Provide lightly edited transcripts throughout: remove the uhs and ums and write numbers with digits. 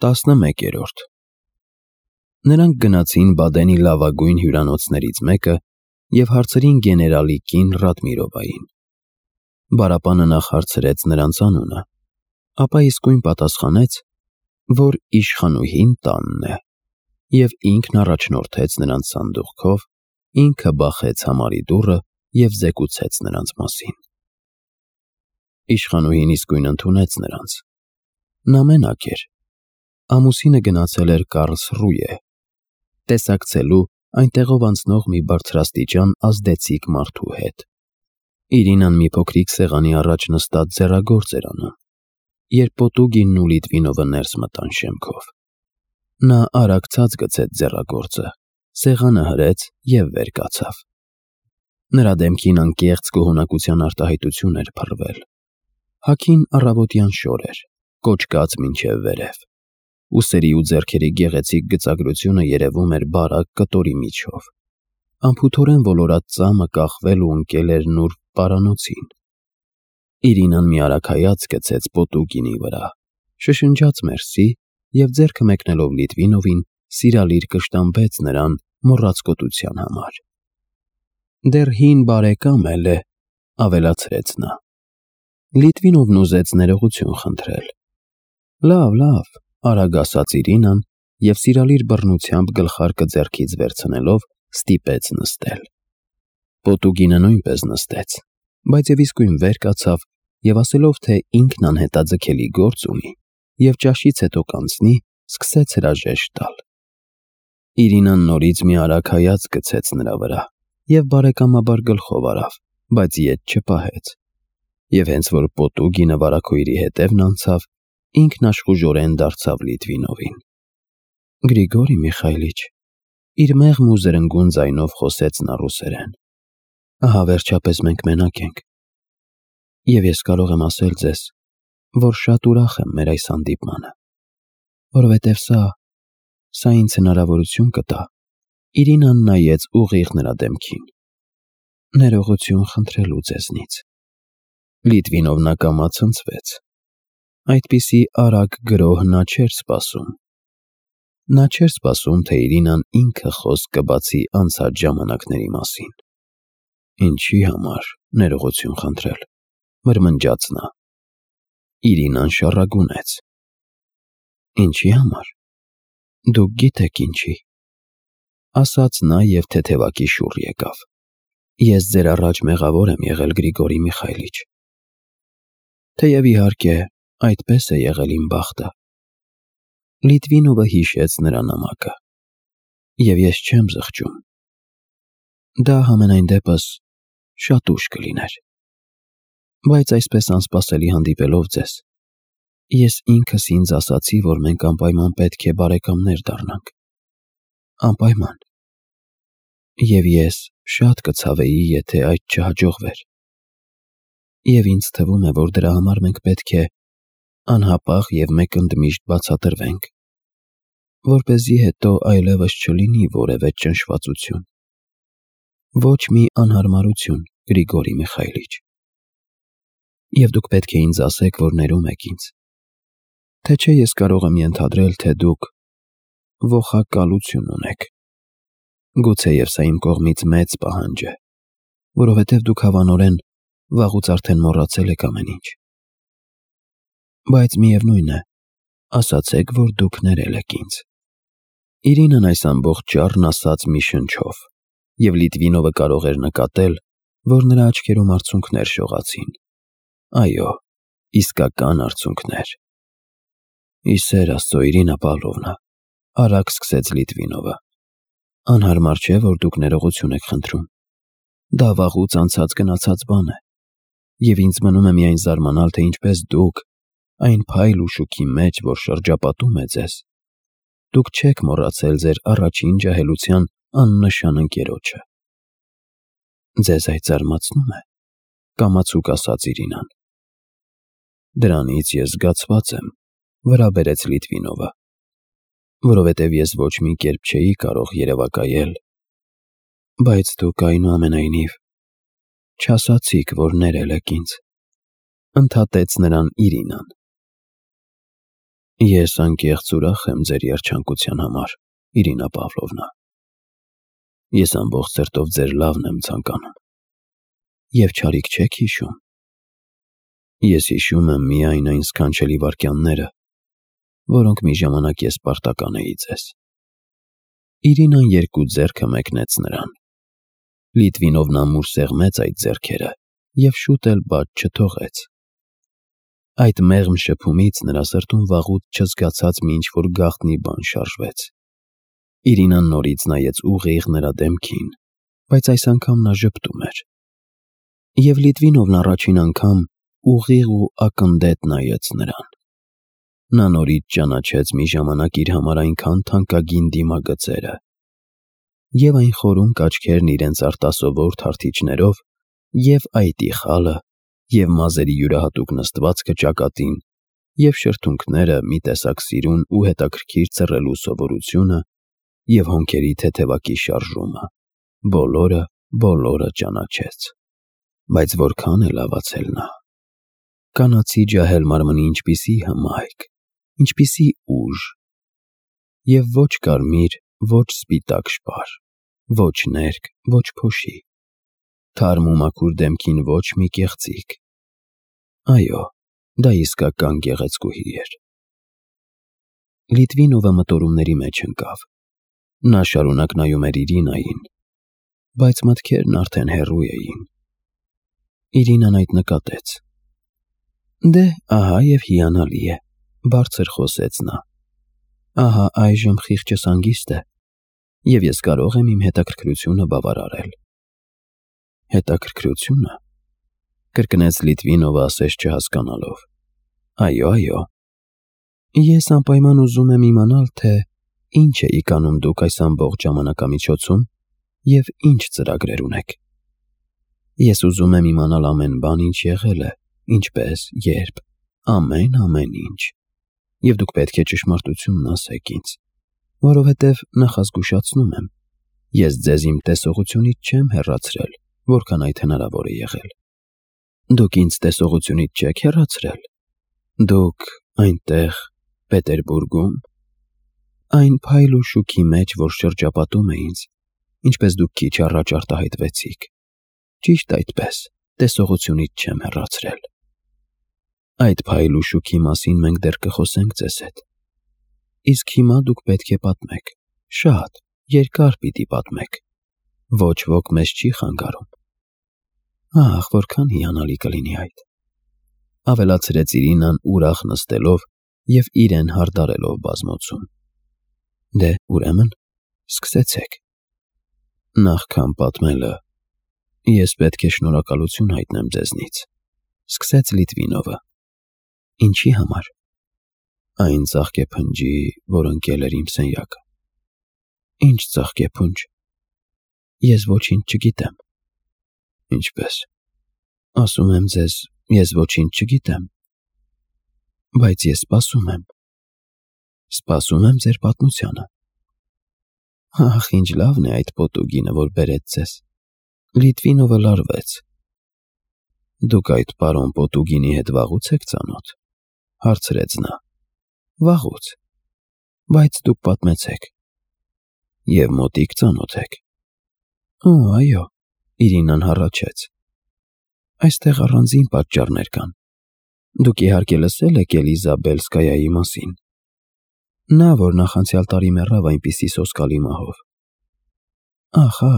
11-րդ Նրանք գնացին Բադենի լավագույն հյուրանոցներից մեկը և հարցրին գեներալի կին Ռադմիրովային։ Բարապանը նախ հարցրեց նրանց անունը, ապա իսկույն պատասխանեց, որ իշխանուհին տանն է, և ինքն առաջնորդեց նրանց սանդուղքով, ինքը բախեց համարի դուռը և զեկուցեց նրանց մասին։ Իշխանուհին իսկույն ընդունեց նրանց։ Նա մենակ էր։ Ամուսինը գնացել էր Կարլսրուե, տեսակցելու այնտեղով անցնող մի բարձրաստիճան ազդեցիկ մարդու հետ։ Իրինան մի փոքրիկ սեղանի առաջ նստած ձեռագործ էր անում, երբ Պոտուգինն ու Լիտվինովը ներս մտան շեմքով։ Նա արագ ցած գցեց ձեռագործը, սեղանը հրեց և վեր կացավ։ Նրա դեմքին անկեղծ գոհունակության արտահայտություն էր փռվել։ Հագին առավոտյան շոր էր, կոճկած մինչև վերև։ Ուսերի ու ձեռքերի գեղեցիկ գծագրությունը երևում էր բարակ կտորի միջով։ Անփութորեն ոլորած ծամը կախվել ու ընկել էր նուրբ պարանոցին։ Իրինան մի արագ հայացք գցեց Պոտուգինի վրա, շշնջաց մերսի և ձեռքը մեկնելով Լիտվինովին, սիրալիր կշտամբեց նրան մոռացկոտության համար։ «Դեռ հին բարեկամ էլ է», ավելացրեց նա։ Լիտվինովն ուզեց ներողություն խնդրել։ «Լավ», արագ ասաց Իրինան և սիրալիր բռնությամբ գլխարկը ձեռքից վերցնելով ստիպեց նստել։ Պոտուգինը նույնպես նստեց, բայց և իսկույն վեր կացավ և ասելով, թե ինքն անհետաձգելի գործ ունի և ճաշից հետո կանցնի, սկսեց հրաժեշտ տալ։ Իրինան նորից մի արագ հայացք գցեց նրա վրա և բարեկամաբար գլխով արավ, բայց ետ չպահեց։ Եվ հենց որ Պոտուգինը վարագույրի հետևն անցավ, ինքն աշխուժորեն դարձավ Լիտվինովին։ «Գրիգորի Միխայիլիչ», իր մեղմ ու զրնգուն ձայնով խոսեց նա ռուսերեն, «ահա վերջապես մենք մենակ ենք։ Եվ ես կարող եմ ասել ձեզ, որ շատ ուրախ եմ մեր այս հանդիպմանը, որովհետև սա ինձ հնարավորություն կտա»։ Իրինան նայեց ուղիղ նրա դեմքին։ «Ներողություն խնդրելու ձեզնից»։ Լիտվինովն ակամա ցնցվեց։ Այդպիսի արագ գրոհ նա չէր սպասում։ Նա չէր սպասում, թե Իրինան ինքը խոսք կբացի անցած ժամանակների մասին։ «Ինչի համար ներողություն խնդրել», մրմնջաց նա։ Իրինան շառագունեց։ «Ինչի համար։ Դուք գիտեք ինչի», ասաց նա և թեթևակի շուռ եկավ։ «Ես ձեր առաջ մեղավոր եմ եղել, Գրիգորի Միխայիլիչ։ Թեև իհարկե այդպես է եղել իմ բախտը»։ Լիտվինովը հիշեց նրա նամակը։ «Եվ ես չեմ զղջում։ Դա համենայն դեպս շատ ուշ կլիներ։ Բայց այսպես անսպասելի հանդիպելով ձեզ, ես ինքս ինձ ասացի, որ մենք անպայման պետք է բարեկամներ դառնանք։ Անպայման։ Եվ ես շատ կցավեի, եթե այդ չհաջողվեր։ Եվ ինձ թվում է, որ դրա համար մենք պետք է անհապաղ և մեկընդմիշտ բացատրվենք, որպեսզի հետո այլևս չլինի որևէ ճնշվածություն։ Ոչ մի անհարմարություն, Գրիգորի Միխայիլիչ։ Եվ դուք պետք է ինձ ասեք, որ ներում եք ինձ, թե չէ ես կարող եմ ենթադրել, թե դուք ոխակալություն ունեք։ Գուցեև սա իմ կողմից մեծ պահանջ է, որովհետև դուք հավանորեն վաղուց արդեն մոռացել եք ամեն ինչ։ Բայց միևնույն է, ասացեք, որ դուք ներել եք ինձ»։ Իրինան այս ամբողջ ճառն ասաց մի շնչով, և Լիտվինովը կարող էր նկատել, որ նրա աչքերում արցունքներ շողացին։ Այո, իսկական արցունքներ։ «Ի սեր Աստծո, Իրինա Պավլովնա», արագ սկսեց Լիտվինովը, «անհարմար չէ, որ դուք ներողություն եք խնդրում։ Դա վաղուց անցած գնացած բան է, և ինձ մնում է միայն զարմանալ, թե ինչպես դուք, այն փայլ ու շուքի մեջ, որ շրջապատում է ձեզ, դուք չեք մոռացել ձեր առաջին ջահելության աննշան ընկերոջը»։ «Ձեզ այդ զարմացնում է», կամացուկ ասաց Իրինան։ «Դրանից ես զգացված եմ», վրա բերեց Լիտվինովը, «որովհետև ես ոչ մի կերպ չէի կարող երևակայել, բայց դուք այնուամենայնիվ չասացիք, որ ներել եք ինձ», ընդհատեց նրան Իրինան։ Ես անկեղծ ուրախ եմ ձեր երջանկության համար, Իրինա Պավլովնա։ Ես ամբողջ սրտով ձեր լավն եմ ցանկանում։ Եվ չարիք չեք հիշում։ Ես հիշում եմ միայն այն սքանչելի վայրկյանները, որոնք մի ժամանակ ես պարտական էի ձեզ։ Իրինան երկու ձեռքը մեկնեց նրան։ Լիտվինովն ամուր սեղմեց այդ ձեռքերը և շուտ էլ բաց չթողեց։ Այդ մեղմ շփումից նրա սրտում վաղուց չզգացած մի ինչ-որ գաղտնի բան շարժվեց։ Իրինան նորից նայեց ուղիղ նրա դեմքին, բայց այս անգամ նա ժպտում էր։ Եվ Լիտվինովն առաջին անգամ ուղիղ ու ակնթեթ նայեց նրան։ Նա նորից ճանաչեց մի ժամանակ իր համար այնքան թանկագին դիմագծերը։ Եվ այն խորունկ աչքերն իրենց արտասովոր թարթիչներով, և այտի խալը, և մազերի յուրահատուկ նստվածքը ճակատին, և շրթունքները մի տեսակ սիրուն ու հետաքրքիր ցռելու սովորությունը, և հոնքերի թեթևակի շարժումը, բոլորը ճանաչեց։ Բայց որքան է լավացել նա։ Կանացի ջահել մարմնի ինչպիսի հմայք, ինչպիսի ուժ։ Եվ ոչ կարմիր, ոչ սպիտակ շպար, ոչ ներք, ոչ փոշի, թարմ ու մաքուր դեմքին ոչ մի կեղծիք։ Այո, դա իսկական գեղեցկուհի էր։ Լիտվինովը մտորումների մեջ ընկավ։ Նա շարունակ նայում էր Իրինային, բայց մտքերն արդեն հեռու էին։ Իրինան այդ նկատեց։ Դե, ահա և հիանալի է, բարձր խոսեց նա։ Ահա այժմ խիղճս հանգիստ է, և ես կարող եմ իմ հետաքրքրությունը բավարարել։ Հետաքրքրությունը, կրկնեց Լիտվինովը ասես չհասկանալով։ Այո։ Ես անպայման ուզում եմ իմանալ, թե ինչ էիք անում դուք այս ամբողջ ժամանակամիջոցում և ինչ ծրագրեր ունեք։ Ես ուզում եմ իմանալ ամեն բան, ինչ եղել է, ինչպես, երբ, ամեն ինչ։ Եվ դուք պետք է ճշմարտությունն ասեք ինձ, որովհետև նախազգուշացնում եմ, ես ձեզ իմ տեսողությունից չեմ հեռացրել, որքան այդ հնարավոր է եղել։ Դուք ինձ տեսողությունից չեք հեռացրել։ Դուք այնտեղ, Պետերբուրգում, այն փայլ ու շուքի մեջ, որ շրջապատում է ինձ, ինչպես դուք քիչ առաջ արտահայտվեցիք։ Ճիշտ այդպես, տեսողությունից չեմ հեռացրել։ Այդ փայլ ու շուքի մասին մենք դեռ կխոսենք ձեզ հետ։ Իսկ հիմա դուք պետք է պատմեք, շատ երկար պիտի պատմեք։ Ոչ ոք մեզ չի խանգարում։ Ահ, որքան հիանալի կլինի այդ, ավելացրեց Իրինան ուրախ նստելով և իրեն հարդարելով բազմոցում։ Դե, ուրեմն, սկսեցեք։ Նախքան պատմելը, ես պետք է շնորհակալություն հայտնեմ ձեզնից, սկսեց Լիտվինովը։ Ինչի համար։ Այն ծաղկեփնջի, որ ընկել էր իմ սենյակը։ Ինչ ծաղկեփունջ։ Ես ոչինչ չգիտեմ։ Ինչպես։ Ասում եմ ձեզ, ես ոչինչ չգիտեմ։ Բայց ես սպասում եմ։ Սպասում եմ ձեր պատմությանը։ Ահ, ինչ լավն է այդ պոտուգինը, որ բերեց ձեզ։ Լիտվինովը լարվեց։ Դուք այդ պարոն Պոտուգինի հետ վաղուց եք ծանոթ, հարցրեց նա։ Վաղուց։ Բայց դուք պատմեցեք։ Եվ մոտիկ ծանոթ եք։ Օ, այո, Իրինան հառաչեց։ Այստեղ առանձին պատճառներ կան։ Դուք իհարկե լսել եք Էլիզաբելսկայայի մասին։ Նա, որ նախանցյալ տարի մեռավ այնպիսի սոսկալի մահով։ Ահա,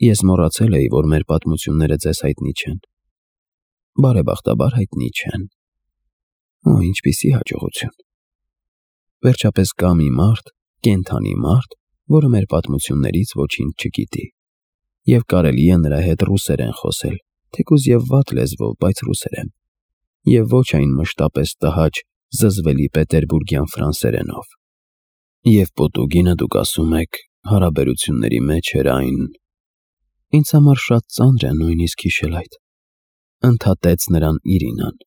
ես մոռացել էի, որ մեր պատմությունները ձեզ հայտնի չեն։ Բարեբախտաբար հայտնի չեն։ Օ, ինչպիսի հաջողություն։ Վերջապես կա մի մարդ, կենդանի մարդ, որը մեր պատմություններից ոչինչ չգիտի։ Եվ կարելի է նրա հետ ռուսերեն խոսել, թեկուզ և վատ լեզվով, բայց ռուսերեն։ Եվ ոչ այն մշտապես տհաճ, զզվելի պետերբուրգյան ֆրանսերենով։ Եվ Պոտուգինը, դուք ասում եք, հարաբերությունների մեջ էր այն։ Ինձ համար շատ ծանր է նույնիսկ հիշել այդ, ընդհատեց նրան Իրինան։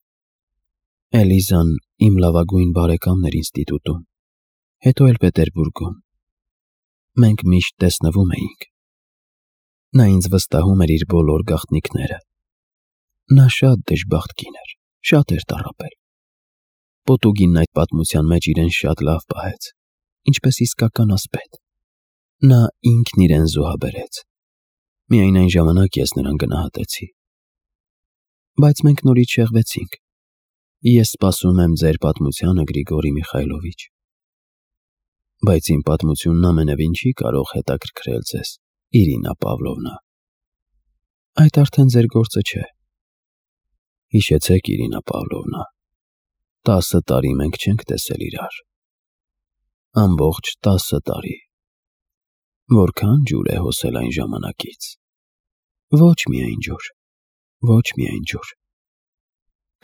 Էլիզան իմ լավագույն բարեկամն էր ինստիտուտում, հետո էլ Պետերբուրգում։ Մենք միշտ տեսնվում էինք։ Նա ինձ վստահում էր իր բոլոր գաղտնիքները։ Նա շատ դժբախտ կին էր, շատ էր տառապել։ Պոտուգինն այդ պատմության մեջ իրեն շատ լավ պահեց, ինչպես իսկական ասպետ։ Նա ինքն իրեն զոհաբերեց։ Միայն այն ժամանակ ես նրան գնահատեցի։ Բայց մենք նորից շեղվեցինք։ Ես սպասում եմ ձեր պատմությանը, Գրիգորի Միխայլովիչ։ Բայց իմ պատմությունն ամենևին չի կարող հետաքրքրել ձեզ, Իրինա Պավլովնա։ Այդ արդեն ձեր գործը չէ։ Հիշեցեք, Իրինա Պավլովնա, 10 տարի մենք չենք տեսել իրար։ Ամբողջ 10 տարի։ Որքան ջուր է հոսել այն ժամանակից։ Ոչ միայն ջուր, ոչ միայն ջուր։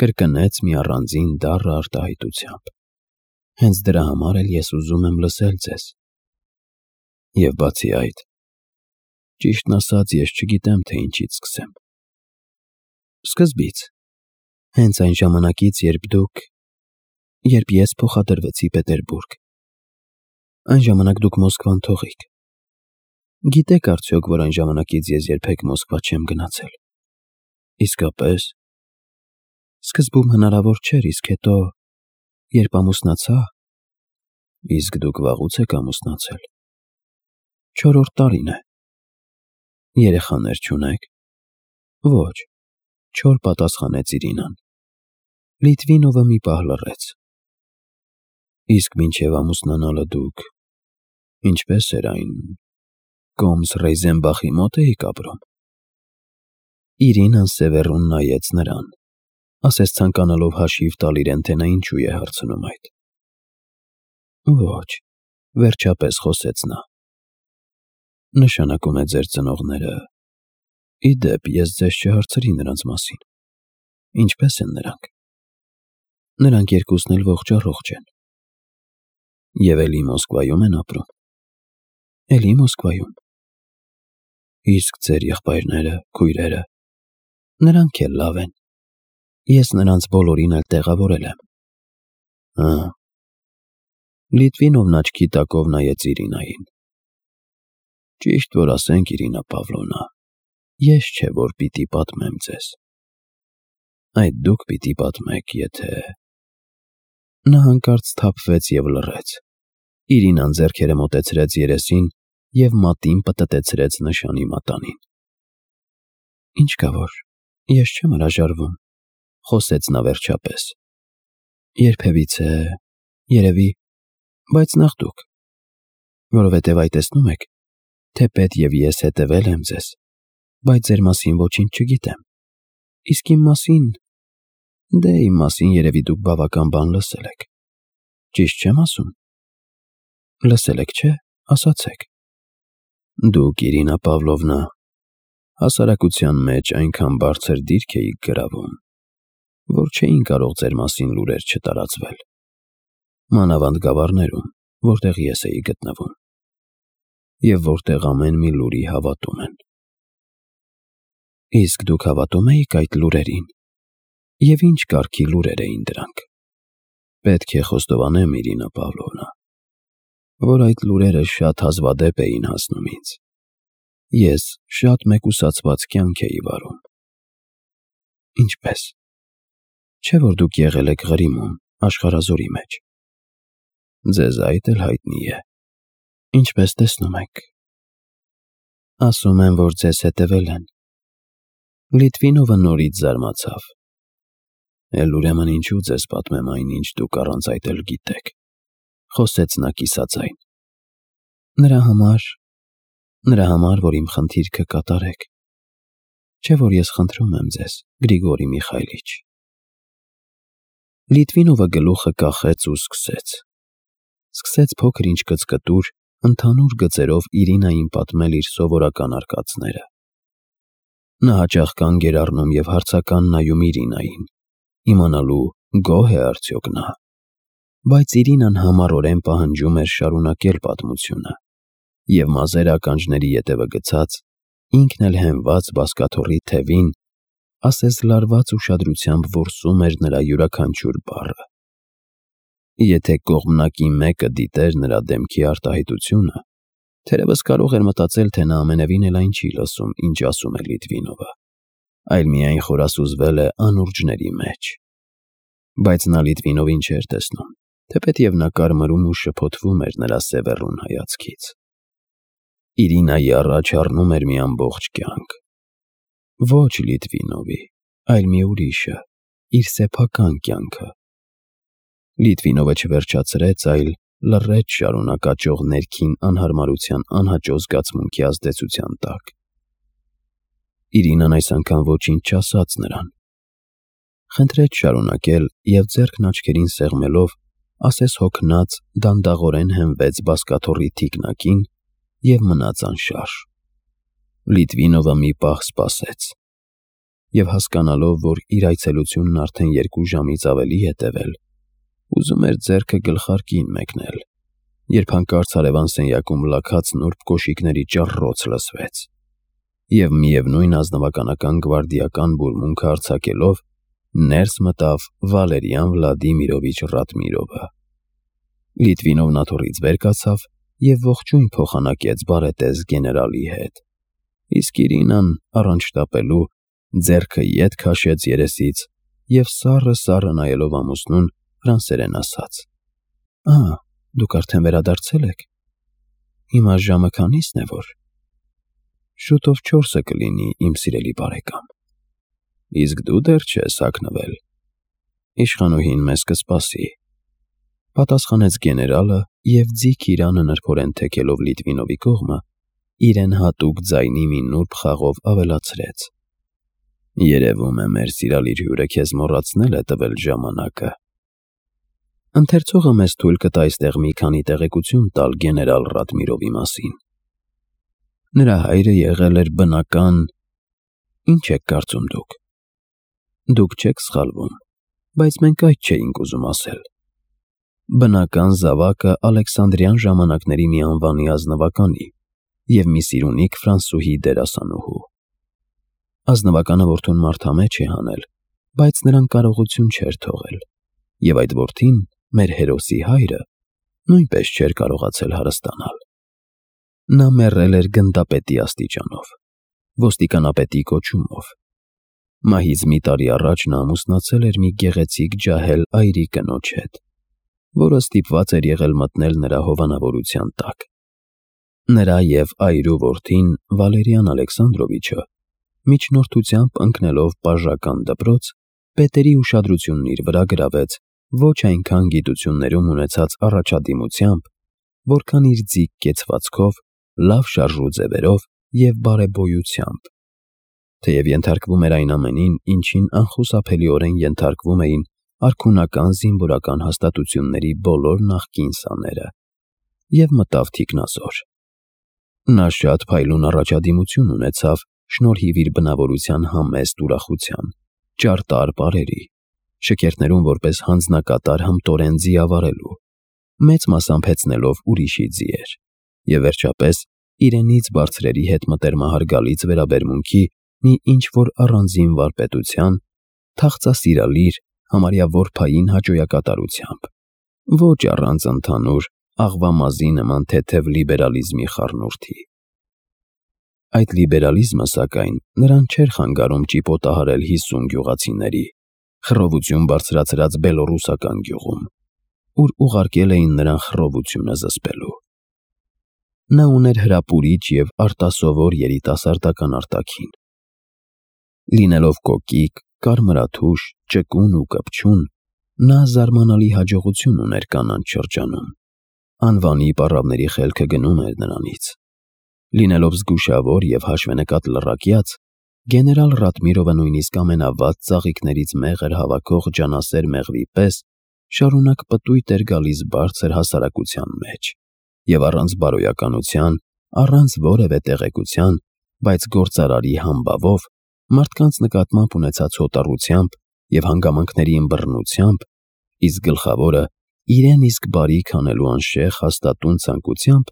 Կրկնեց մի առանձին դառը արտահայտությամբ։ Հենց դրա համար էլ ես ուզում եմ լսել ձեզ։ Եվ բացի այդ, ճիշտն ասած, ես չգիտեմ, թե ինչից սկսեմ։ Սկզբից, հենց այն ժամանակից, երբ ես փոխադրվեցի Պետերբուրգ։ Այն ժամանակ դուք Մոսկվան թողիք։ Գիտեք արդյոք, որ այն ժամանակից ես երբեք Մոսկվա չեմ գնացել։ Իսկապես։ Սկզբում հնարավոր չէր, իսկ հետո, երբ ամուսնացա, իսկ դուք վաղուց եք ամուսնացել։ 4-րդ տարին է։ Երեխաներ չունեք։ Ոչ, չոր պատասխանեց Իրինան։ Լիտվինովը մի պահ լռեց։ Իսկ մինչև ամուսնանալը դուք, ինչպես էր այն, Կոմս Ռեյզենբախի մոտ էիք ապրում։ Իրինան սևեռուն նայեց նրան, ասես ցանկանալով հաշիվ տալ իրեն, թե նա ինչու է հարցնում այդ։ Ոչ, վերջապես խոսեց նա։ Նշանակում է ձեր ծնողները։ Ի դեպ, ես ձեզ չհարցրի նրանց մասին։ Ինչպես են նրանք։ Նրանք երկուսն էլ ողջ են։ Եվ էլի Մոսկվայում են ապրում։ Էլի Մոսկվայում։ Իսկ ձեր եղբայրները, քույրերը, նրանք էլ լավ են։ Ես նրանց բոլորին էլ տեղավորել եմ։ Հա։ Լիտվինովն աչքի տակով նայեց Իրինային։ Ճիշտ որ ասենք, Իրինա Պավլովնա, ես չէ որ պիտի պատմեմ ձեզ։ Այդ դուք պիտի պատմեք, եթե… Նա հանկարծ սթափվեց և լռեց։ Իրինան ձեռքերը մոտեցրեց երեսին և մատին պտտեցրեց նշանի մատանին։ Ինչ կա որ, ես չեմ հրաժարվում, խոսեց նա վերջապես։ Երբևիցե, երևի, բայց նախ դուք, որովհետև այ տեսնում եք, թեպետ և ես հետևել եմ ձեզ, բայց ձեր մասին ոչինչ չգիտեմ։ Իսկ իմ մասին… Դե իմ մասին երևի դուք բավական բան լսել եք։ Ճիշտ չեմ ասում։ Լսել եք, չէ՞, ասացեք։ Դուք, Իրինա Պավլովնա, հասարակության մեջ այնքան բարձր դիրք էիք գրավում, որ չէին կարող ձեր մասին լուրեր չտարածվել։ Մանավանդ Գավառներում, որտեղ ես էի գտնվում, և որտեղ ամեն մի լուրի հավատում են։ Իսկ դուք հավատում էիք այդ լուրերին, և ինչ կարգի լուրեր էին դրանք։ Պետք է խոստովանեմ, Իրինա Պավլովնա, որ այդ լուրերը շատ հազվադեպ էին հասնում ինձ։ Ես շատ մեկուսացված կյանք էի վարում։ Ինչպես։ Չէ՞ որ դուք եղել եք Ղրիմում, Աշխարհազորի մեջ։ Ձեզ այդ էլ հայտնի է։ Ինչպես տեսնում եք։ Ասում են, որ ձեզ հետևել են։ Լիտվինովը նորից զարմացավ։ Էլ ուրեմն ինչու ձեզ պատմեմ այն, ինչ դուք առանց այդ էլ գիտեք, խոսեց նա կիսաձայն։ Նրա համար, որ իմ խնդիրքը կատարեք։ Չէ՞ որ ես խնդրում եմ ձեզ, Գրիգորի Միխայլիչ։ Լիտվինովը գլուխը կախեց ու սկսեց փոքր-ինչ կծկտուր, ընդհանուր գծերով Իրինային պատմել իր սովորական արկածները։ Նա հաճախ կանգ էր առնում և հարցական նայում Իրինային, իմանալու գոհ է արդյոք նա։ Բայց Իրինան համառորեն պահանջում էր շարունակել պատմությունը, և մազերը ականջների ետևը գցած, ինքն էլ հենված բազկաթոռի թևին, ասես լարված ուշադրությամբ որսում էր նրա յուրաքանչյուր բառը։ Եթե կողմնակի մեկը դիտեր նրա դեմքի արտահայտությունը, թերևս կարող էր մտածել, թե նա ամենևին էլ այն չի լսում, ինչ ասում է Լիտվինովը, այլ միայն խորասուզվել է անուրջների մեջ։ Բայց նա Լիտվինովին չէր տեսնում, թեպետև նա կարմրում ու շփոթվում էր նրա սևեռուն հայացքից։ Իրինայի առաջ առնում էր մի ամբողջ կյանք։ Ոչ Լիտվինովի, այլ մի ուրիշը, իր սեփական կյանքը։ Լիտվինովը չվերջացրեց, այլ լռեց շարունակ աճող ներքին անհարմարության անհաճո զգացմունքի ազդեցության տակ։ Իրինան այս անգամ ոչինչ չասաց նրան։ Խնդրեց շարունակել և ձեռքն աչքերին սեղմելով, ասես հոգնած, դանդաղորեն հենվեց բազկաթոռի թիկնակին և մնաց անշարժ։ Լիտվինովը մի պահ սպասեց և, հասկանալով, որ իր այցելությունն արդեն 2 ժամից ավելի է տևել, ուզում էր ձեռքը գլխարկին մեկնել, երբ հանկարծ հարևան սենյակում լաքած նուրբ կոշիկների ճռռոց լսվեց, և միևնույն ազնվականական գվարդիական բուրմունքը արձակելով, ներս մտավ Վալերիան Վլադիմիրովիչ Ռադմիրովը։ Լիտվինովն աթոռից վեր կացավ և ողջույն փոխանակեց բարետես գեներալի հետ, իսկ Իրինան, առանց շտապելու, ձեռքը ետ քաշեց երեսից և սառը նայելով ամուսնուն, ֆրանսերեն ասաց. Դուք արդեն վերադարձել եք։ Հիմա ժամը քանի՞սն է որ։ Շուտով 4-ը կլինի, իմ սիրելի բարեկամ։ Իսկ դու դեռ չես հագնվել։ Իշխանուհին մեզ կսպասի, պատասխանեց գեներալը և ձիգ իրանը նրբորեն թեքելով Լիտվինովի կողմը, իրեն հատուկ ձայնի մի նուրբ խաղով ավելացրեց. Երևում է, մեր սիրալիր հյուրը քեզ մոռացնել է տվել ժամանակը։ Ընթերցողը մեզ թույլ կտա այստեղ մի քանի տեղեկություն տալ գեներալ Ռադմիրովի մասին։ Նրա հայրը եղել էր բնական… Ինչ եք կարծում դուք։ Դուք չեք սխալվում, բայց մենք այդ չէինք ուզում ասել։ Բնական զավակը Ալեքսանդրյան ժամանակների մի անվանի ազնվականի և մի սիրունիկ ֆրանսուհի դերասանուհու։ Ազնվականը որդուն մարդամեջ է հանել, բայց նրան կարողություն չէր թողել, և այդ որդին, մեր հերոսի հայրը, նույնպես չէր կարողացել հարստանալ։ Նա մեռել էր գնդապետի աստիճանով, ոստիկանապետի կոչումով։ Մահից մի տարի առաջ նա ամուսնացել էր մի գեղեցիկ ջահել այրի կնոջ հետ, որը ստիպված էր եղել մտնել նրա հովանավորության տակ։ Նրա և այրու որդին Վալերիան Ալեքսանդրովիչը, միջնորդությամբ ընկնելով պաժական դպրոց, պետերի ուշադրությունն իր վրա գրավեց ոչ այնքան գիտություններում ունեցած առաջադիմությամբ, որքան իր ձիգ կեցվածքով, լավ շարժու ձևերով և բարեբոյությամբ։ Թեև ենթարկվում էր այն ամենին, ինչին անխուսափելիորեն ենթարկվում էին արքունական զինվորական հաստատությունների բոլոր նախկին սաները, և մտավ թիկնազոր։ Նա շատ փայլուն առաջադիմություն ունեցավ շնորհիվ իր բնավորության համեստ ուրախության, ճարտար պարերի, շքերթներում որպես հանձնակատար հմտորեն ձիավարելու, մեծ մասամբ հեծնելով ուրիշի ձիեր, և վերջապես իրենից բարձրերի հետ մտերմահարգալից վերաբերմունքի մի ինչ-որ առանձին վարպետության, թախծասիրալիր, համարյա որբային հաճոյակատարությամբ, ոչ առանց ընդհանուր աղվամազի նման թեթև լիբերալիզմի խառնուրդի։ Այդ լիբերալիզմը, սակայն, նրան չէր խանգարում ճիպոտահարել 50 գյուղացիների, խռովություն բարձրացրած բելոռուսական գյուղում, ուր ուղարկել էին նրան խռովությունը զսպելու։ Նա ուներ հրապուրիչ և արտասովոր երիտասարդական արտաքին։ Լինելով կոկիկ, կարմրաթուշ, ճկուն ու կպչուն, նա զարմանալի հաջողություն ուներ կանանց շրջանում։ Անվանի պառավների խելքը գնում էր նրանից։ Լինելով զգուշավոր և հաշվենկատ լռակյաց, գեներալ Ռադմիրովը նույնիսկ ամենավատ ծաղիկներից մեղր հավաքող ջանասեր մեղվի պես շարունակ պտույտ էր գալիս բարձր հասարակության մեջ և առանց բարոյականության, առանց որևէ տեղեկության, բայց գործարարի համբավով, մարդկանց նկատմամբ ունեցած հոտառությամբ և հանգամանքների ըմբռնությամբ, իսկ գլխավորը իրեն իսկ բարիք անելու անշեղ հաստատուն ցանկությամբ,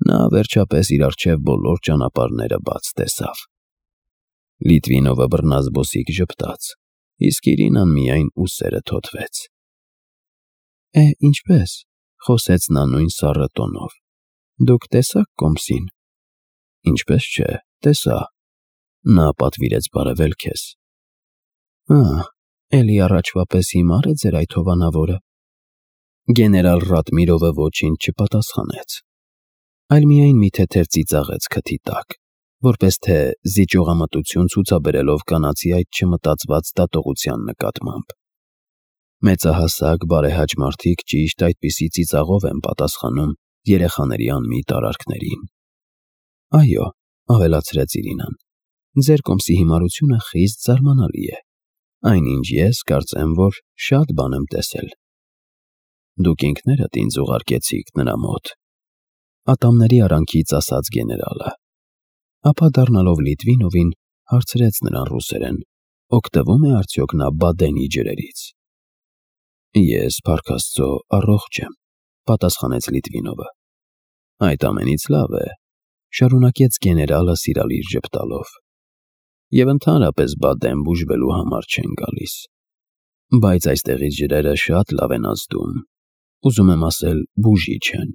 նա վերջապես իր առջև բոլոր ճանապարհները բաց տեսավ։ Լիտվինովը բռնազբոսիկ ժպտաց, իսկ Իրինան միայն ուսերը թոթվեց։ Ինչպե՞ս, խոսեց նա նույն սառը տոնով, դուք տեսա՞ք կոմսին։ Ինչպես չէ, տեսա։ Նա պատվիրեց բարևել քեզ։ Էլի առաջվա պես հիմար է ձեր այդ հովանավորը։ Գեներալ Ռատմիրովը ոչինչ չպատասխանեց, այլ միայն մի թեթև ծիծաղեց քթի տակ, որպես թե զիջողամտություն ցուցաբերելով կանացի այդ չմտածված դատողության նկատմամբ։ Մեծահասակ բարեհաճ մարդիկ ճիշտ այդպիսի ծիծաղով են պատասխանում երեխաների անմիտ արարքներին։ Այո, ավելացրեց Իրինան, ձեր կոմսի հիմարությունը խիստ զարմանալի է, այնինչ ես կարծեմ, որ շատ բան եմ տեսել։ Դուք ինքներդ ինձ ուղարկեցիք նրա մոտ, ատամների արանքից ասաց գեներալը, ապա դառնալով Լիտվինովին հարցրեց նրան ռուսերեն. օգտվում է արդյոք նա Բադենի ջրերից։ Ես, փառք Աստծո, առողջ եմ, պատասխանեց Լիտվինովը։ Այդ ամենից լավ է, շարունակեց գեներալը սիրալիր ժպտալով, և ընդհանրապես Բադեն բուժվելու համար չեն գալիս, բայց այստեղից ջրերը շատ լավ են ազդում, ուզում եմ ասել բուժիչ են,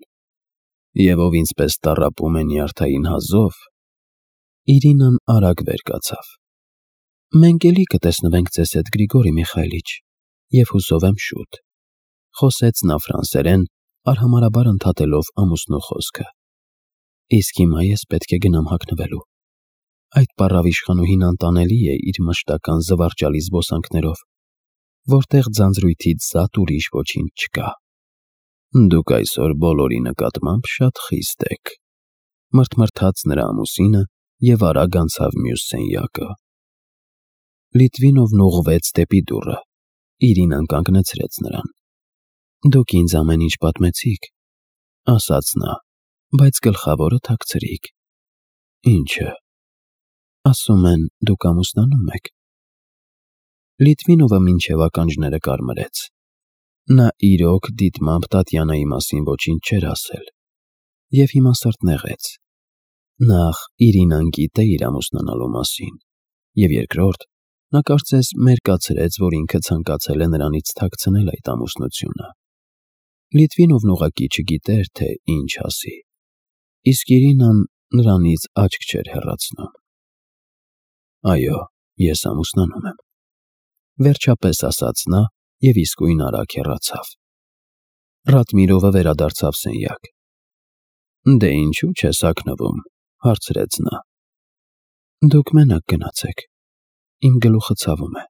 և ով ինձպես տառապում է նյարդային հազով։ Իրինան արագ վեր կացավ։ Մենք էլի կտեսնվենք ձեզ հետ, Գրիգորի Միխայիլիչ, և հուսով եմ շուտ, խոսեց նա ֆրանսերեն, արհամարհաբար ընդհատելով ամուսնու խոսքը։ Իսկ հիմա ես պետք է գնամ հագնվելու։ Այդ պառավ իշխանուհին անտանելի է իր մշտական զվարճալի զբոսանքներով, որտեղ ձանձրույթից զատ ուրիշ ոչինչ չկա։ Դուք այսօր բոլորի նկատմամբ շատ խիստ եք, մրթմրթաց նրա ամուսինը և արագ անցավ մյուս սենյակը։ Լիտվինովն ուղղվեց դեպի դուռը, Իրինան կանգնեցրեց նրան։ Դուք ինձ ամեն ինչ պատմեցիք, ասաց նա, բայց գլխավորը թաքցրիք։ Ինչը։ Ասում են, դուք ամուսնանում եք։ Լիտվինովը մինչև ականջները կարմրեց։ Նա իրոք դիտմամբ Տատյանայի մասին ոչինչ չէր ասել, և հիմա սրտնեղեց։ Նախ Իրինան գիտե իր ամուսնանալու մասին, և երկրորդ, նա կարծես մերկացրեց, որ ինքը ցանկացել է նրանից թաքցնել այդ ամուսնությունը։ Լիտվինովն ուղղակի չգիտեր, թե ինչ ասի, իսկ Իրինան նրանից աչք չէր հեռացնում։ Այո, ես ամուսնանում եմ, վերջապես ասաց նա և իսկույն արագ հեռացավ։ Ռատմիրովը վերադարձավ սենյակ։ Դե ինչու չես հագնվում, հարցրեց նա։ Դուք մենակ գնացեք, իմ գլուխը ցավում է։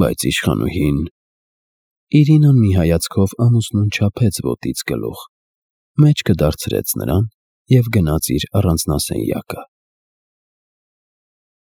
Բայց իշխանուհին… Իրինան մի հայացքով ամուսնուն չափեց ոտից գլուխ, մեջքը դարձրեց նրան և գնաց իր առանձնասենյակը։